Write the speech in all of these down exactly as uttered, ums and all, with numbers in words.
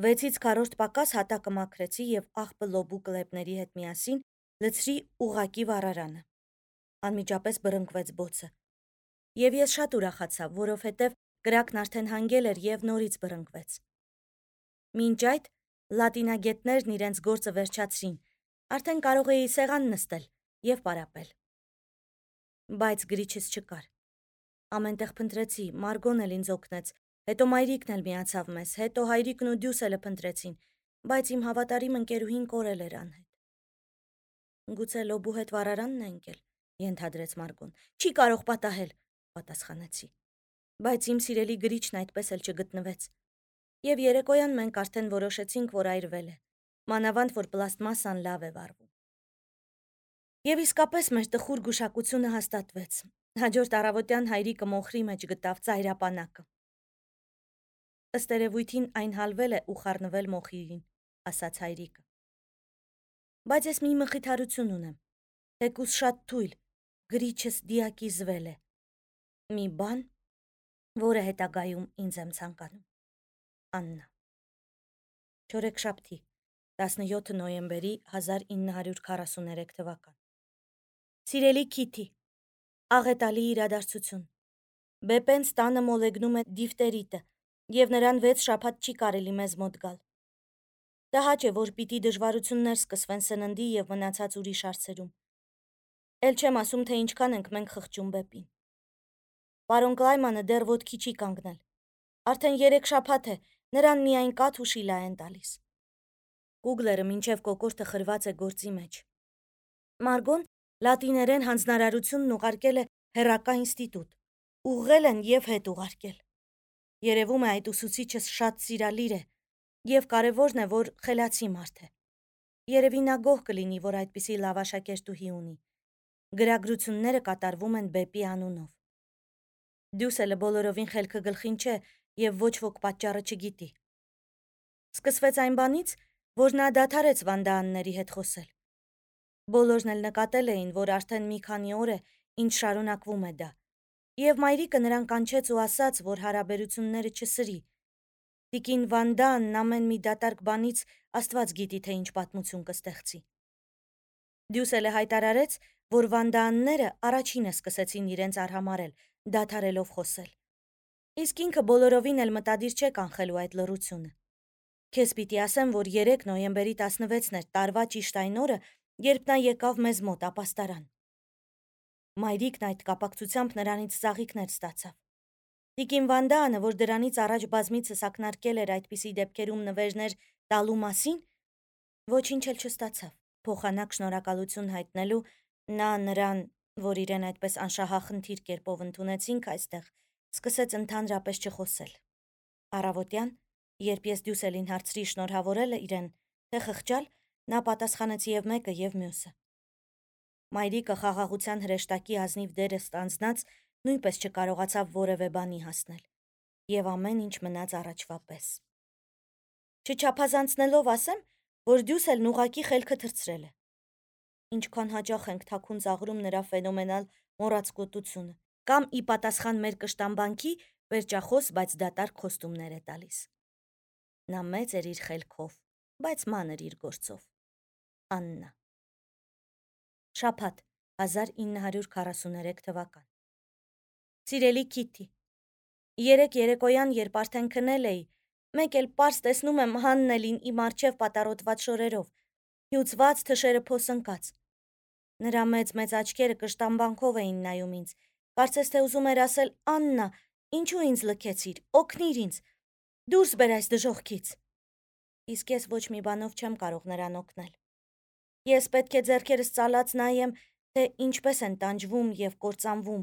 Վեցից քառորդ պակաս հատակը մաքրեցի և աղբը լոբու կլեպների հետ միասին լցրի ուղղակի վառարանը։ Անմիջապես բռնկվեց բոցը։ Եվ ես շատ ուրախացա, որովհետև կրակն արդեն հանգել էր և նորից բռնկվեց։ Մինչ այդ լատինագետներն իրենց գործը վերջացրին, արդեն կարող էի սեղան նստել և պարապել։ Բայց գրիչս չկար։ Ամենտեղ փնտրեցի, Մարգոն էլ ինձ օգնեց, հետո մայրիկն էլ միացավ մեզ, հետո հայրիկն ու Դյուսելը փնտրեցին, բայց իմ հավատարիմ ընկերուհին կորել էր անհետ։ Գուցե լոբու հետ վառարանն է ընկել, ենթադրեց Մարգոն։ Չի կարող պատահել, պատասխանեցի։ Բայց իմ սիրելի գրիչն այդպես էլ չգտնվեց։ Եվ երեկոյան մենք արդեն որոշեցինք, որ այրվել է, մանավանդ որ պլաստմասան լավ է վառվում։ Եվ իսկապես մեր տխուր գուշակությունը հաստատվեց։ Հաջորդ առավոտյան հայրիկը մոխրի մեջ գտավ ծայրապանակը։ Ըստ երևույթին այն հալվել է ու խառնվել մոխիրին, ասաց հայրիկը։ Բայց ես մի մխիթարություն ունեմ, թեկուզ շատ թույլ, գրիչս դիակիզվել է։ Մի բան, որը հետագայում ինձ եմ ցանկանում։ Աննա։ Չորեքշաբթի, տասնյոթ նոյեմբերի հազար ինը հարյուր քառասուներեք թվական։ Սիրելի Քիթի, աղետալի իրադարձություն։ Բեպենց տանը մոլեգնում է դիֆտերիտը, և նրան վեց շաբաթ չի կարելի մեզ մոտ գալ։ Տհաճ է, որ պիտի դժվարություններ սկսվեն սննդի և մնացած ուրիշ հարցերում։ Էլ չեմ ասում, թե ինչքան ենք մենք խղճում բեպին։ Պարոն Կլայմանը դեռ ոտքի չի կանգնել։ Արդեն երեք շաբաթ է, նրան միայն կաթ ու շիլա են տալիս։ Կուգլերը մինչև կոկորդը խրված է գործի մեջ։ Մարգոն լատիներեն հանձնարարությունն ուղարկել է հեռակա ինստիտուտ։ Ուղղել են և հետ ուղարկել։ Երևում է այդ ուսուցիչս շատ սիրալիր է, և կարևորն է, որ խելացի մարդ է։ Երևի նա գոհ կլինի, որ այդպիսի լավ աշակերտուհի ունի։ Գրագրությունները կատարվում են բեպի անունով։ Դյուսելը բոլորովին խելքը գլխին չէ և ոչ ոք պատճառը չգիտի։ Սկսվեց այն բանից, որ նա դադարեց Վանդաանների հետ խոսել։ Բոլորն էլ նկատել էին, որ արդեն մի քանի օր է, ինչ շարունակվում է դա, և մայրիկը նրան կանչեց ու ասաց, որ հարաբերությունները չսրի։ Տիկին Վանդաանն ամեն մի դատարկ բանից Աստված գիտի, թե ինչ պատմություն կստեղծի։ Դյուսելը հայտարարեց, որ Վանդաանները առաջինը սկսեցին իրենց արհամարհել, դադարելով խոսել։ Իսկ ինքը բոլորովին էլ մտադիր չէ կանխելու այդ լռությունը։ Քեզ պիտի ասեմ, որ երեկ նոյեմբերի տասնվեցն էր տարվա ճիշտ այն օրը, երբ նա եկավ մեզ մոտ ապաստարան։ Մայրիկն այդ կապակցությամբ նրանից ծաղիկներ ստացավ։ Տիկին Վանդաանը, որ դրանից առաջ բազմիցս ակնարկել էր այդպիսի դեպքերում նվերներ տալու մասին, ոչինչ էլ չստացավ։ Փոխանակ շնորհակալություն հայտնելու նա նրան, որ իրեն այդպես անշահախնդիր կերպով ընդունեցինք այստեղ, սկսեց ընդհանրապես չխոսել։ Առավոտյան, երբ ես Դյուսելին հարցրի շնորհավորել իրեն, թե խղճալ, նա պատասխանեց և մեկը, և մյուսը։ Մայրիկը խաղաղության հրեշտակի ազնիվ դերը ստանձնած նույնպես չկարողացավ որևէ բանի հասնել, և ամեն ինչ մնաց առաջվա պես։ Չչափազանցնելով ասեմ, որ Դյուսելն ուղղակի խելքը թռցրել է։ Ինչքան հաճախ ենք թաքուն ծաղրում նրա ֆենոմենալ մոռացկոտությունը, կամ ի պատասխան մեր կշտամբանքի պերճախոս, բայց դատարկ խոստումներ է տալիս։ Նա մեծ էր իր խելքով, բայց մանր իր գործով։ Աննա։ Շաբաթ, հազար ինը հարյուր քառասուներեք թվական։ Սիրելի Քիթի, երեք երեկոյան, երբ արդեն քնել էի, մեկ էլ պարզ տեսնում եմ Հաննելին իմ առջև պատառոտված շորերով, հյուծված, թշերը փոսընկած։ Նրա մեծ-մեծ աչքերը կշտամբանքով էին նայում ինձ, կարծես թե ուզում էր ասել. Աննա, ինչու ինձ լքեցիր, օգնիր ինձ, դուրս բեր այս դժոխքից։ Իսկ ես ոչ մի բանով չեմ կարող նրան օգնել։ Ես պետք է ձեռքերս ծալած նայեմ, թե ինչպես են տանջվում և կործանվում,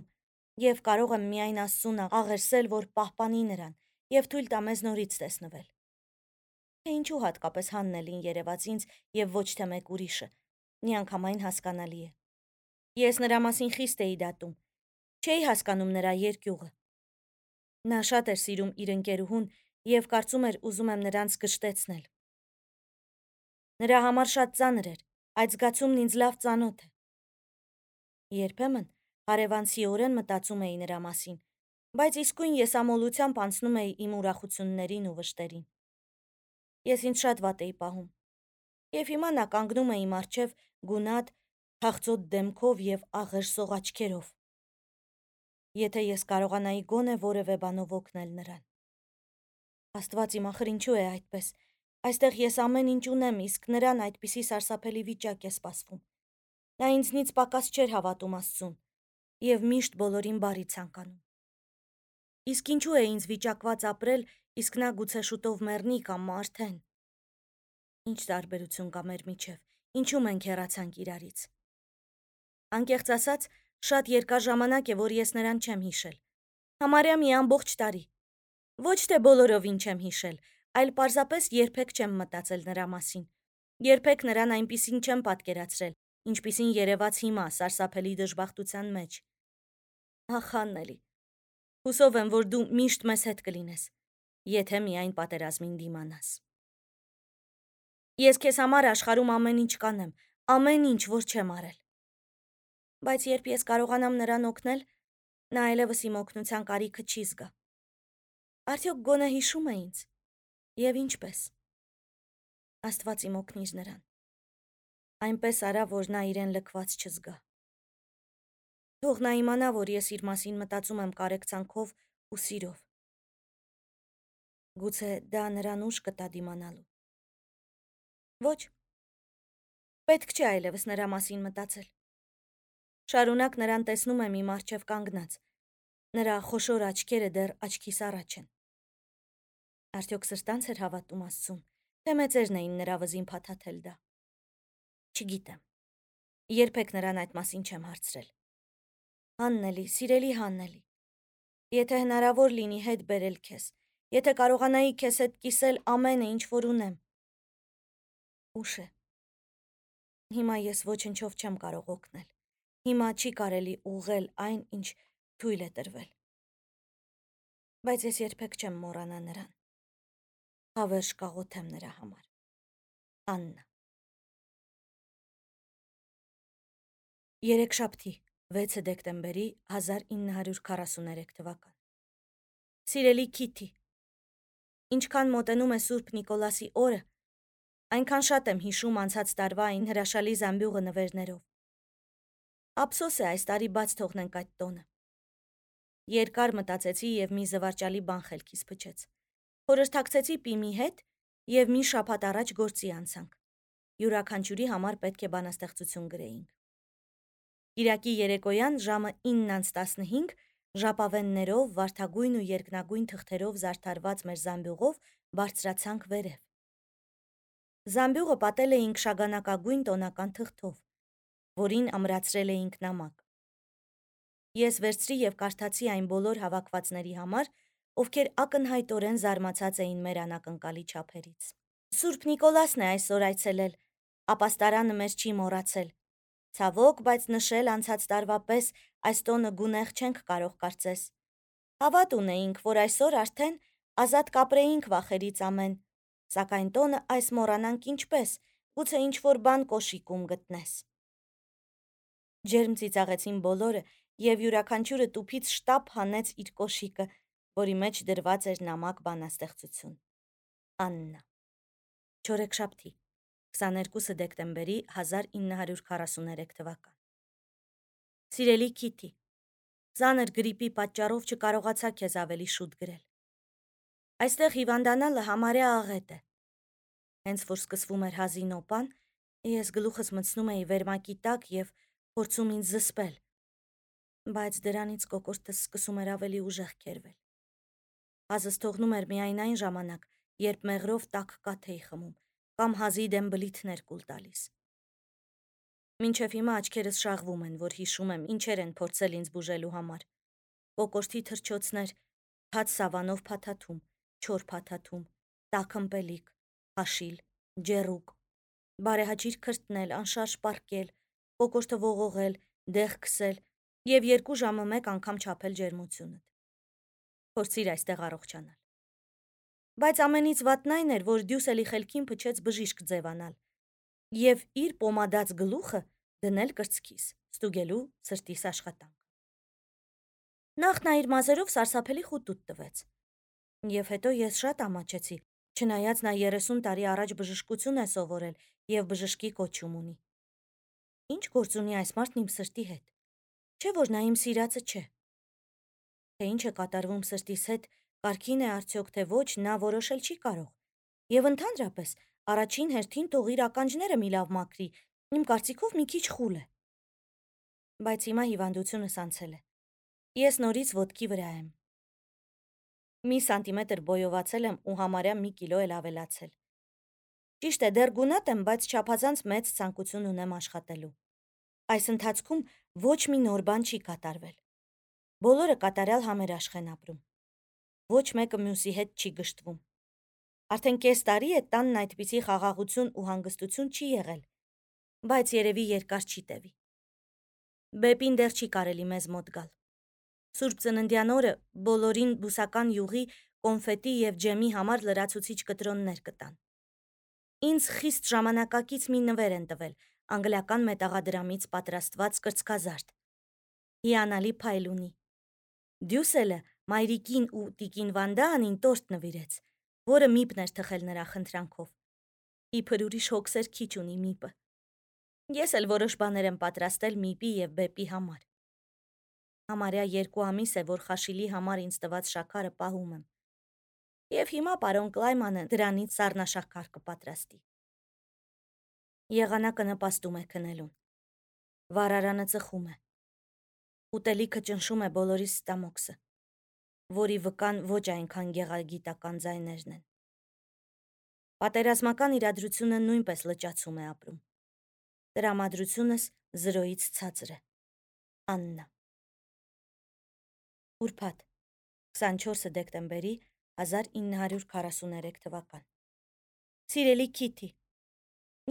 և կարող եմ միայն Աստծուն աղերսել, որ պահպանի նրան և թույլ տա մեզ նորից տեսնվել։ Թե ինչու հատկապես Հաննելին երևաց ինձ և ոչ թե մեկ ուրիշը, միանգամայն հասկանալի է։ Ես նրա մասին խիստ էի դատում, չէի հասկանում նրա երկյուղը։ Նա շատ էր սիրում իր ընկերուհուն և կարծում էր ուզում եմ նրանց գժտեցնել։ Նրա համար շատ ծանր էր, այդ զգացումն ինձ լավ ծանոթ է։ Երբեմն հարևանցիորեն մտածում էի նրա մասին, բայց իսկույն եսամոլությամբ անցնում էի իմ ուրախություններին ու վշտերին։ Ես ինձ շատ վատ էի պահում։ Եվ հիմա նա կանգնում է իմ առջև գունատ, թախծոտ դեմքով և աղեր սող աչքերով։ Եթե ես կարողանայի գոնե որևէ բանով օգնել նրան։ Աստված իմ, ախր ինչու է այդպես։ Այստեղ ես ամեն ինչ ունեմ, իսկ նրան այդպիսի սարսափելի վիճակ է սպասվում։ Նա ինձնից պակաս չէր հավատում Աստծուն և միշտ բոլորին բարի ցանկանում։ Իսկ ինչու է ինձ վիճակված ապրել, իսկ նա գուցե շուտով մեռնի կամ արդեն։ Ինչ տարբերություն կա մեր միջև, ինչու մենք հեռացանք իրարից։ Անկեղծ ասած, շատ երկար ժամանակ է, որ ես նրան չեմ հիշել։ Համարյա մի ամբողջ տարի։ Ոչ թե բոլորովին չեմ հիշել, այլ պարզապես երբեք չեմ մտածել նրա մասին։ Երբեք նրան այնպիսին չեմ պատկերացրել, ինչպիսին երևաց հիմա սարսափելի դժբախտության մեջ։ Ախ, Աննելի, հուսով եմ, որ դու միշտ մեզ հետ կլինես, եթե միայն պատերազմին դիմանաս։ Ես քեզ համար աշխարհում ամեն ինչ կանեմ, ամեն ինչ, որ չեմ արել։ Բայց երբ ես կարողանամ նրան օգնել, նա այլևս իմ օգնության կարիքը չի զգա։ Արդյոք գոնե հիշում է ինձ։ Եվ ինչպես։ Աստված իմ օգնիր նրան։ Այնպես արա, որ նա իրեն լքված չզգա։ Թող նա իմանա, որ ես իր մասին մտածում եմ կարեկցանքով ու սիրով։ Գուցե դա նրան ուժ կտա դիմանալու։ Ոչ։ Պետք չէ այլևս նրա մասին մտածել։ Շարունակ նրան տեսնում եմ իմ առջև կանգնած։ Նրա խոշոր աչքերը դեռ աչքիս առաջ են։ Արդյոք սրտանց էր հավատում Աստծուն, թե մեծերն էին նրա վզին փաթաթել դա։ Չգիտեմ։ Երբեք նրան այդ մասին չեմ հարցրել։ Հաննելի, սիրելի Հաննելի, եթե հնարավոր լինի հետ բերել քեզ, եթե կարողանայի քեզ հետ կիսել ամենը, ինչ որ ունեմ։ Ուշ է։ Հիմա ես ոչնչով չեմ կարող օգնել։ Հիմա չի կարելի ուղղել այն, ինչ թույլ է տրվել։ Բայց ես երբեք չեմ մոռանա նրան։ Հավերժ կաղոթեմ նրա համար։ Աննա։ Երեքշաբթի, վեցը դեկտեմբերի հազար ինը հարյուր քառասուներեք թվական։ Սիրելի Քիթի, ինչքան մոտենում է Սուրբ Նիկոլասի օրը, այնքան շատ եմ հիշում անցած տարվա այն հրաշալի զամբյուղը նվերներով։ Ափսոս է այս տարի բաց թողնենք այդ տոնը։ Երկար մտածեցի և մի զվարճալի բան խելքիս փչեց։ Խորհրդակցեցի Պիմի հետ և մի շաբաթ առաջ գործի անցանք։ Յուրաքանչյուրի համար պետք է բանաստեղծություն գրեինք։ Կիրակի երեկոյան ժամը ինը անց տասնհինգ ժապավեններով, վարդագույն ու երկնագույն թղթերով զարդարված մեր զամբյուղով բարձրացանք վերև։ Զամբյուղը պատել էինք շագանակագույն տոնական թղթով, որին ամրացրել էինք նամակ։ Ես վերցրի և կարդացի այն բոլոր հավաքվածների համար, ովքեր ակնհայտորեն զարմացած էին մեր անակնկալի չափերից։ Սուրբ Նիկոլասն է այսօր այցելել, ապաստարանը մեզ չի մոռացել։ Ցավոք, բայց նշել անցած տարվա պես այս տոնը գունեղ չենք կարող կարծես։ Հավատ ունեինք, որ այսօր արդեն ազատ կապրեինք վախերից ամեն, սակայն տոնը այս մոռանանք ինչպես, գուցե ինչ-որ բան կոշիկում գտնես։ Ջերմ ծիծաղեցին բոլորը և յուրաքանչյուրը տուփից շտապ հանեց իր կոշիկը, որի մեջ դրված էր նամակ բանաստեղծություն։ Աննա։ Չորեքշաբթի, քսաներկուսը դեկտեմբերի հազար ինը հարյուր քառասուներեք թվական։ Սիրելի Քիթի, ծանր գրիպի պատճառով չկարողացա քեզ ավելի շուտ գրել։ Այստեղ հիվանդանալը համարյա աղետ է։ Հենց որ սկսվում էր հազին օպան, ես գլուխս մտցնում էի վերմակի տակ և փորձում ինձ զսպել, բայց դրանից կոկորդս սկսում էր ավելի ուժեղ քերվել։ Հազս թողնում էր միայն այն ժամանակ, երբ մեղրով տաք կաթ էի խմում կամ հազի դեմ բլիթներ կուլ տալիս։ Մինչև հիմա աչքերս շաղվում են, որ հիշում եմ ինչեր են փորձել ինձ բուժելու համար։ Կոկորդի թռչոցներ, թաց սավանով փաթաթում, չոր փաթաթում, տաք ըմպելիք, հաշիլ, ջեռուկ, բարեհաճիր քրտնել, անշարժ պառկել, կոկորդը ողողել, դեղ քսել և երկու ժամը մեկ անգամ չափել ջերմությունդ։ Փորձիր այստեղ առողջանալ։ Բայց ամենից վատն այն էր, որ Դյուսելի խելքին փչեց բժիշկ ձևանալ և իր պոմադած գլուխը դնել կրծքիս, ստուգելու սրտիս աշխատանքը։ Նախ նա իր մազերով սարսափելի խուտուտ տվեց, և հետո ես շատ ամաչեցի, Չնայած նա երեսուն տարի առաջ բժշկություն է սովորել եւ բժշկի կոչում ունի։ Ինչ գործ ունի այս մարդն իմ սրտի հետ։ Չէ՞ որ նա իմ սիրածը չէ։ Թե ինչ է կատարվում սրտիս հետ, կարգին է արդյոք թե ոչ, նա որոշել չի կարող։ Եվ ընդհանրապես, առաջին հերթին թող իր ականջները մի լավ մաքրի, իմ կարծիքով մի քիչ խուլ է։ Բայց հիմա հիվանդությունս անցել է։ Ես նորից ոտքի վրա եմ։ Մի սանտիմետր բոյովացել եմ ու համարյա մի կիլո էլ ավելացել։ Ճիշտ է, դեռ գունատ եմ, բայց չափազանց մեծ ցանկություն ունեմ աշխատելու։ Այս ընթացքում ոչ մի նոր բան չի կատարվել։ Բոլորը կատարյալ համերաշխ են ապրում։ Ոչ մեկը մյուսի հետ չի գժտվում։ Արդեն կես տարի է տանն այդպիսի խաղաղություն ու հանգստություն չի եղել, բայց երևի երկար չի տևի։ Բեպին դեռ չի կարելի մեզ մոտ գալ։ Սուրբ ծննդյան օրը բոլորին բուսական յուղի, կոնֆետի եւ ջեմի համար լրացուցիչ կտրոններ կտան։ Ինձ խիստ ժամանակակից մի նվեր են տվել, անգլիական մետաղադրամից պատրաստված կրծքազարդ։ Հիանալի փայլ ունի։ Դյուսելը մայրիկին ու տիկին Վանդանին տորտ նվիրեց, որը միպն էր թխել նրա խնդրանքով։ Իբր ուրիշ հոգսեր քիչ ունի միպը։ Ես էլ որոշ բաներ եմ պատրաստել միպի եւ բեպի համար։ Համարյա երկու ամիս է, որ Խաշիլի համար ինձ տված շաքարը պահում եմ։ Եվ հիմա պարոն Կլայմանը դրանից սառնաշաքար կպատրաստի։ Եղանակը նպաստում է քնելուն։ Վարարանը ծխում է։ Ուտելիքը ճնշում է բոլորիս ստամոքսը, որի վկան ոչ այնքան գեղագիտական ձայներն են։ Պատերազմական իրադրությունը նույնպես լճացում է ապրում։ Տրամադրությունս զրոյից ցածր է։ Աննա։ Ուրբաթ, քսանչորսը դեկտեմբերի հազար ինը հարյուր քառասուներեք թվական։ Սիրելի Քիթի,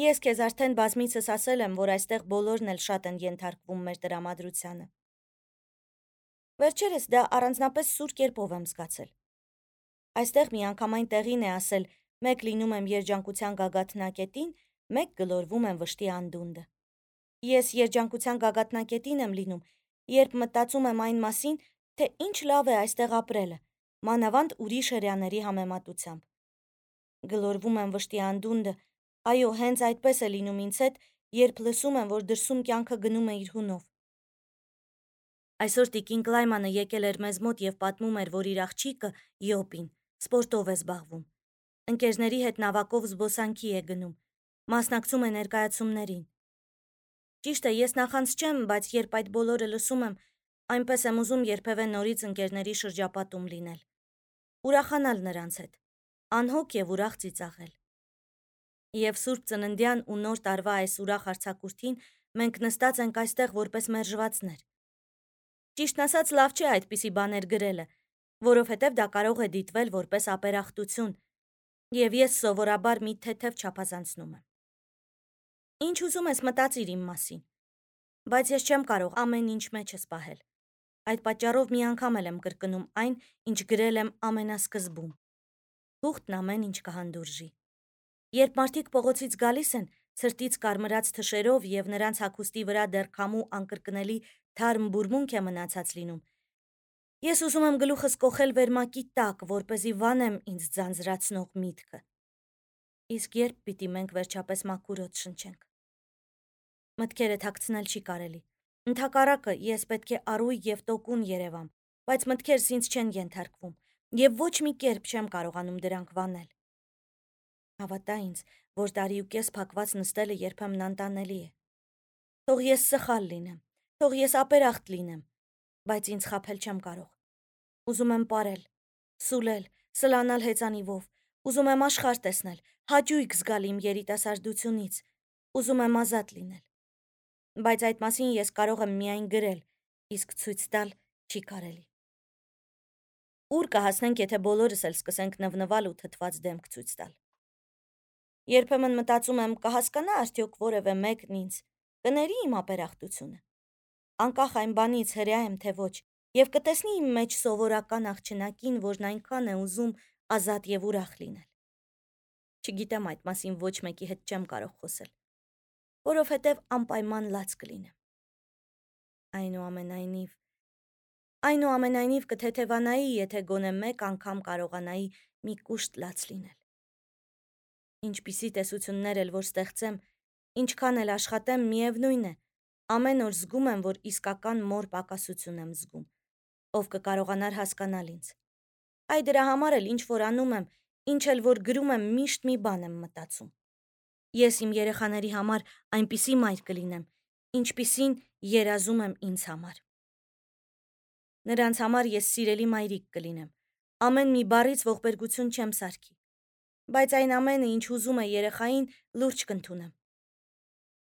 ես քեզ արդեն բազմիցս ասել եմ, որ այստեղ բոլորն էլ շատ են ենթարկվում մեր տրամադրությանը։ Վերջերս դա առանձնապես սուր կերպով եմ զգացել։ Այստեղ միանգամայն տեղին է ասել, մեկ լինում եմ երջանկության գագաթնակետին, մեկ գլորվում եմ վշտի անդունդը։ Ես երջանկության գագաթնակետին եմ լինում, երբ մտածում եմ այն մասին, թե ինչ լավ է այստեղ ապրելը, մանավանդ ուրիշ հրեաների համեմատությամբ։ Գլորվում եմ վշտի անդունդը, այո, հենց այդպես է լինում ինձ հետ, երբ լսում եմ, որ դրսում կյանքը գնում է իր հունով։ Այսօր տիկին Կլայմանը եկել էր մեզ մոտ եւ պատմում էր, որ իր աղջիկը Յոպին սպորտով է զբաղվում։ Ընկերների հետ նավակով զբոսանքի է գնում, մասնակցում է ներկայացումներին։ Ճիշտ է, ես նախանց չեմ, բայց երբ այդ բոլորը լսում եմ, այնպես եմ ուզում երբևէ նորից ընկերների շրջապատում լինել։ Ուրախանալ նրանց հետ, անհոգ եւ ուրախ ծիծաղել։ Եվ Սուրբ Ծննդյան ու Նոր տարվա այս ուրախ արձակուրդին մենք նստած ենք այստեղ որպես մերժվածներ։ Ճիշտն ասած, լավ չէ այդպիսի բաներ գրելը, որովհետև դա կարող է դիտվել որպես ապերախտություն, եւ ես սովորաբար մի թեթև չափազանցնում եմ։ Ինչ ուզում ես մտածիր իմ մասին, բայց ես չեմ կարող ամեն ինչ մեջս պահել։ Այդ պատճառով մի անգամ էլ եմ կրկնում այն, ինչ գրել եմ ամենասկզբում։ Թուղթն ամեն ինչ կհանդուրժի։ Երբ մարդիկ փողոցից գալիս են, ցրտից կարմրած թշերով եւ նրանց հագուստի վրա դեռ քամու անկրկնելի թարմ բուրմունք է մնացած լինում, ես ուզում եմ գլուխս կոխել վերմակի տակ, որպեսզի վանեմ ինձ ձանձրացնող միտքը։ Իսկ երբ պիտի մենք վերջապես մաքուր օդ շնչենք։ Մտքերը թաքցնել չի կարելի։ Ընդհակառակը, ես պետք է առույգ եւ տոկուն երևամ, բայց մտքերս ինձ չեն ենթարկվում, եւ ոչ մի կերպ չեմ կարողանում դրանք վանել։ Հավատա ինձ, որ տարի ու կես փակված նստելը երբեմն անտանելի է։ Թող ես սխալ լինեմ, թող ես ապերախտ լինեմ, բայց ինձ խաբել չեմ կարող։ Ուզում եմ պարել, սուլել, սլանալ հեծանիվով, ուզում եմ աշխարհ տեսնել, հաճույք զգալ իմ երիտասարդությունից, ուզում եմ ազատ լինել։ Բայց այդ մասին ես կարող եմ միայն գրել, իսկ ցույց տալ չի կարելի։ Ուր կհասնենք, եթե բոլորս էլ սկսենք նվնվալ ու թթված դեմք ցույց տալ։ Երբեմն մտածում եմ, կհասկանա արդյոք որևէ մեկն ինձ, կների իմ ապերախտությունը։ Անկախ այն բանից հրեա եմ թե ոչ, եւ կտեսնի իմ մեջ սովորական աղջնակին, որն այնքան է ուզում ազատ եւ ուրախ լինել։ Չգիտեմ այդ մասին ոչ մեկի հետ չեմ կարող խոսել, որովհետեւ անպայման լաց կլինեմ։ Այնուամենայնիվ, այնուամենայնիվ կթեթևանայի, եթե գոնե մեկ անգամ կարողանայի մի կուշտ լաց լինել։ Ինչպիսի տեսություններ էլ որ ստեղծեմ, ինչքան էլ աշխատեմ, միևնույն է, ամեն օր զգում եմ, որ իսկական մոր պակասություն եմ զգում, ով կկարողանար հասկանալ ինձ։ Այ դրա համար էլ ինչ որ անում եմ, ինչ էլ որ գրում եմ, միշտ մի բան եմ մտածում։ Ես իմ երեխաների համար այնպիսի մայր կլինեմ, ինչպիսին երազում եմ ինձ համար։ Նրանց համար ես սիրելի մայրիկ կլինեմ, ամեն մի բառից ողբերգություն չեմ սարքի, բայց այն ամենը, ինչ ուզում է երեխային, լուրջ կընդունեմ։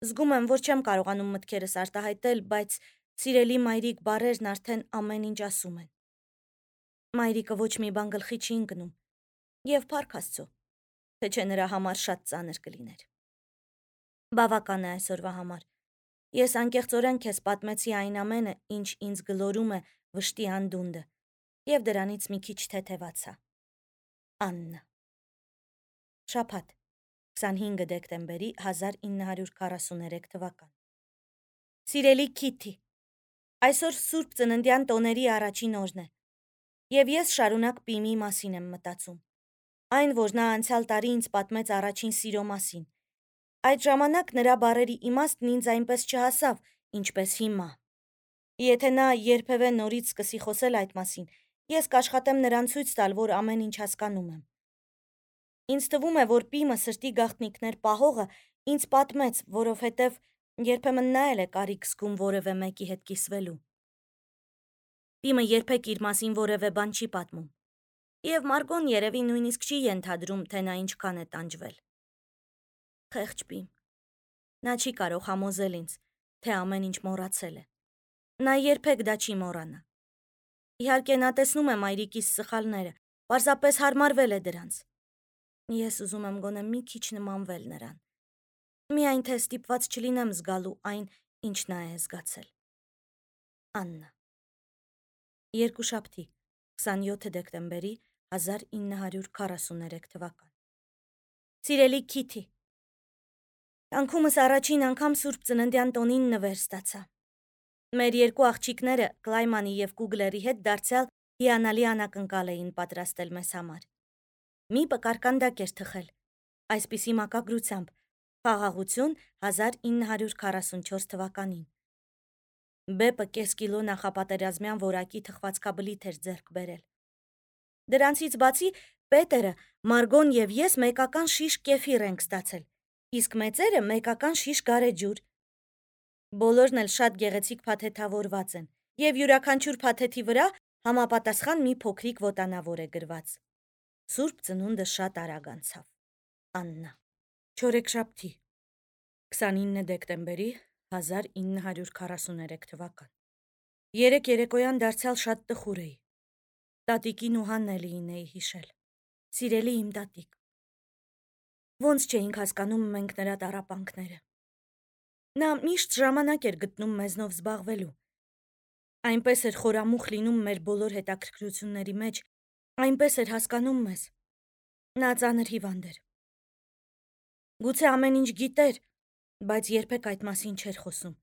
Զգում եմ, որ չեմ կարողանում մտքերս արտահայտել, բայց սիրելի մայրիկ բառերն արդեն ամեն ինչ ասում են։ Մայրիկը ոչ մի բան գլխի չի ընկնում, եւ փառք Աստծո, թե չէ նրա համար շատ ծանր կլիներ։ Բավական է այսօրվա համար։ Ես անկեղծորեն քեզ պատմեցի այն ամենը, ինչ ինձ գլորում է վշտի անդունդը, եւ դրանից մի քիչ թեթևացա։ Աննա։ Շաբաթ, քսանհինգ դեկտեմբերի հազար ինը հարյուր քառասուներեք թվական։ Սիրելի Քիթի, այսօր Սուրբ Ծննդյան տոների առաջին օրն է, եւ ես շարունակ Պիմի մասին եմ մտածում։ Այն, որ նա անցյալ տարի ինձ պատմեց առաջին սիրո մասին։ Այդ ժամանակ նրա բառերի իմաստն ինձ այնպես չհասավ, ինչպես հիմա։ Եթե նա երբևէ նորից սկսի խոսել այդ մասին, ես կաշխատեմ նրան ցույց տալ, որ ամեն ինչ հասկանում եմ։ Ինձ թվում է, որ Պիմը սրտի գաղտնիքներ պահողը ինձ պատմեց, որովհետև երբեմն նա էլ է կարիք զգում որևէ մեկի հետ կիսվելու։ Պիմը երբեք իր մասին որևէ բան չի պատմում։ Եվ Մարգոն երևի նույնիսկ չի ենթադրում, թե նա ինչքան է տանջվել։ Խեղճ Պիմ։ Նա չի կարող համոզել ինձ, թե ամեն ինչ մոռացել է։ Նա երբեք դա չի մոռանա։ Իհարկե նա տեսնում է մայրիկիս սխալները, պարզապես հարմարվել է դրանց։ Ես ուզում եմ գոնե մի քիչ նմանվել նրան։ Միայն թե ստիպված չլինեմ զգալու այն, ինչ նա է զգացել։ Աննա։ Երկուշաբթի, քսանյոթ դեկտեմբերի հազար ինը հարյուր քառասուներեք թվական։ Սիրելի Քիթի, կյանքումս առաջին անգամ Սուրբ Ծննդյան տոնին նվեր ստացա։ Մեր երկու աղջիկները Կլայմանի եւ Կուգլերի հետ դարձյալ հիանալի անակնկալ էին պատրաստել մեզ համար։ Մի պկարկանդակ էր թխել, այսպիսի մակագրությամբ՝ խաղաղություն հազար ինը հարյուր քառասունչորս թվականին։ Բեպը կես կիլո նախապատերազմյան որակի թխվածքաբլիթ էր ձեռք բերել։ Դրանցից բացի Պետերը, Մարգոն եւ ես մեկական շիշ կեֆիր ենք ստացել, իսկ մեծերը մեկական շիշ գարեջուր։ Բոլորն էլ շատ գեղեցիկ փաթեթավորված են, եւ յուրաքանչյուր փաթեթի վրա համապատասխան մի փոքրիկ ոտանավոր է գրված։ Սուրբ ծնունդը շատ արագ անցավ։ Աննա։ Չորեքշաբթի, քսանինը դեկտեմբերի հազար ինը հարյուր քառասուներեք թվական։ Երեք երեկոյան դարձյալ շատ տխուր էի։ Տատիկին ու Հաննելիին էի հիշել։ Սիրելի իմ տատիկ։ Ոնց չէինք հասկանում մենք նրա տառապանքները։ Նա միշտ ժամանակ էր գտնում մեզնով զբաղվելու։ Այնպես էր խորամուխ լինում մեր բոլոր հետաքրքրությունների մեջ, այնպես էր հասկանում մեզ։ Նա ծանր հիվանդ էր։ Գուցե ամեն ինչ գիտեր, բայց երբեք այդ մասին չէր խոսում,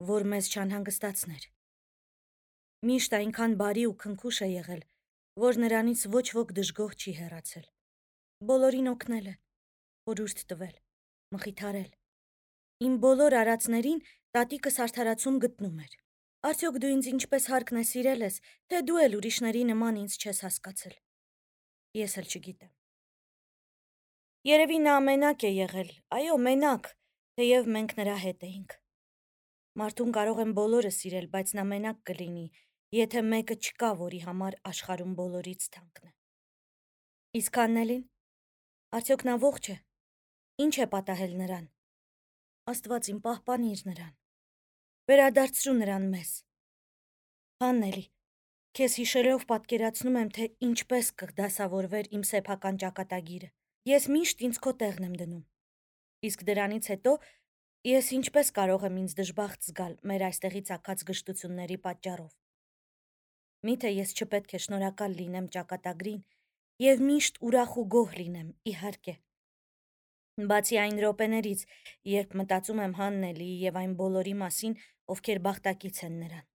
որ մեզ չանհանգստացներ։ Միշտ այնքան բարի ու քնքուշ է եղել, որ նրանից ոչ ոք դժգոհ չի հեռացել։ Բոլորին օգնել է, խորհուրդ տվել, մխիթարել։ Իմ բոլոր արածներին տատիկս արդարացում գտնում էր։ Արդյոք դու ինձ ինչպես հարկն է սիրել ես, թե դու էլ ուրիշների նման ինձ չես հասկացել։ Ես էլ չգիտեմ։ Երևի նա մենակ է եղել, այո, մենակ, թեև մենք նրա հետ էինք։ Մարդուն կարող են բոլորը սիրել, բայց նա մենակ կլինի, եթե մեկը չկա, որի համար աշխարհում բոլորից թանկն է։ Իսկ Հաննելին, արդյոք նա ողջ է։ Ինչ է պատահել նրան։ Աստված իմ պահպանիր նրան։ Վերադարձրու նրան մեզ։ Հաննելի, քեզ հիշելով պատկերացնում եմ, թե ինչպես կդասավորվեր իմ սեփական ճակատագիրը։ Ես միշտ ինձ քո տեղն եմ դնում։ Իսկ դրանից հետո ես ինչպես կարող եմ ինձ դժբախտ զգալ մեր այստեղից ակած գժտությունների պատճառով։ Միթե ես չպետք է շնորհակալ լինեմ ճակատագրին եւ միշտ ուրախ ու գոհ լինեմ, իհարկե։ Բացի այն րոպեներից, երբ մտածում եմ Հաննելիի եւ այն բոլորի մասին, ովքեր բախտակից են նրան։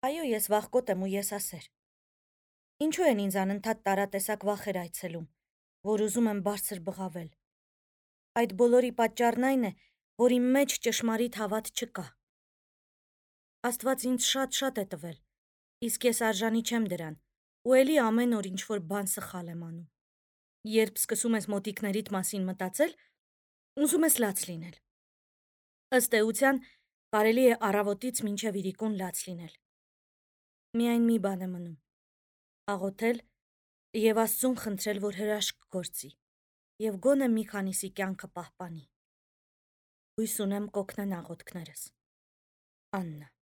Այո, ես վախկոտ եմ ու եսասեր։ Ինչու են ինձ անընդհատ տարատեսակ վախեր այցելում, որ ուզում եմ բարձր բղավել։ Այդ բոլորի պատճառն այն է, որ իմ մեջ ճշմարիտ հավատ չկա։ Աստված ինձ շատ-շատ է տվել, իսկ ես արժանի չեմ դրան, ու էլի ամեն օր ինչ-որ բան սխալ եմ անում։ Երբ սկսում ես մոտիկներիդ մասին մտածել, ուզում ես լաց լինել։ Ըստ էության, կարելի է առավոտից մինչև իրիկուն լաց լինել։ Միայն մի բան է մնում՝ աղոթել և Աստծուն խնդրել, որ հրաշք գործի և գոնե մի քանիսի կյանքը պահպանի։ Հույս ունեմ կօգնեն աղոթքներս։ Աննա։